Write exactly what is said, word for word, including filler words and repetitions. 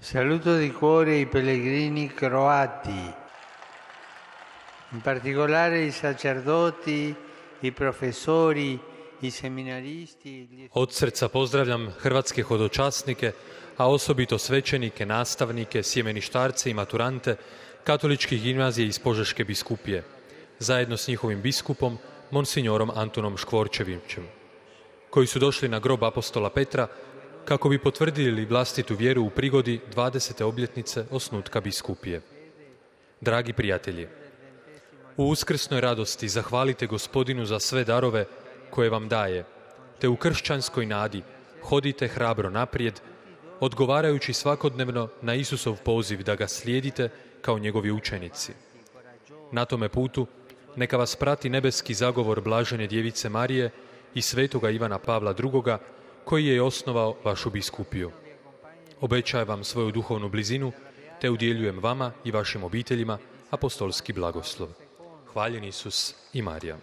Saluto di cuore i pellegrini croati, in particolare i sacerdoti, i profesori, i seminaristi. Od srca pozdravljam hrvatske hodočasnike, a osobito svećenike, nastavnike, sjemeništarce i maturante katoličkih gimnazija iz Požeške biskupije, zajedno s njihovim biskupom, monsignorom Antunom Škvorčevićem, koji su došli na grob apostola Petra kako bi potvrdili vlastitu vjeru u prigodi dvadesete obljetnice osnutka biskupije. Dragi prijatelji, u uskrsnoj radosti zahvalite Gospodinu za sve darove koje vam daje, te u kršćanskoj nadi hodite hrabro naprijed, odgovarajući svakodnevno na Isusov poziv da ga slijedite kao njegovi učenici. Na tome putu neka vas prati nebeski zagovor blažene djevice Marije i svetoga Ivana Pavla drugoga, koji je osnovao vašu biskupiju. Obećajem vam svoju duhovnu blizinu, te udjeljujem vama i vašim obiteljima apostolski blagoslov. Hvaljen Isus i Marija.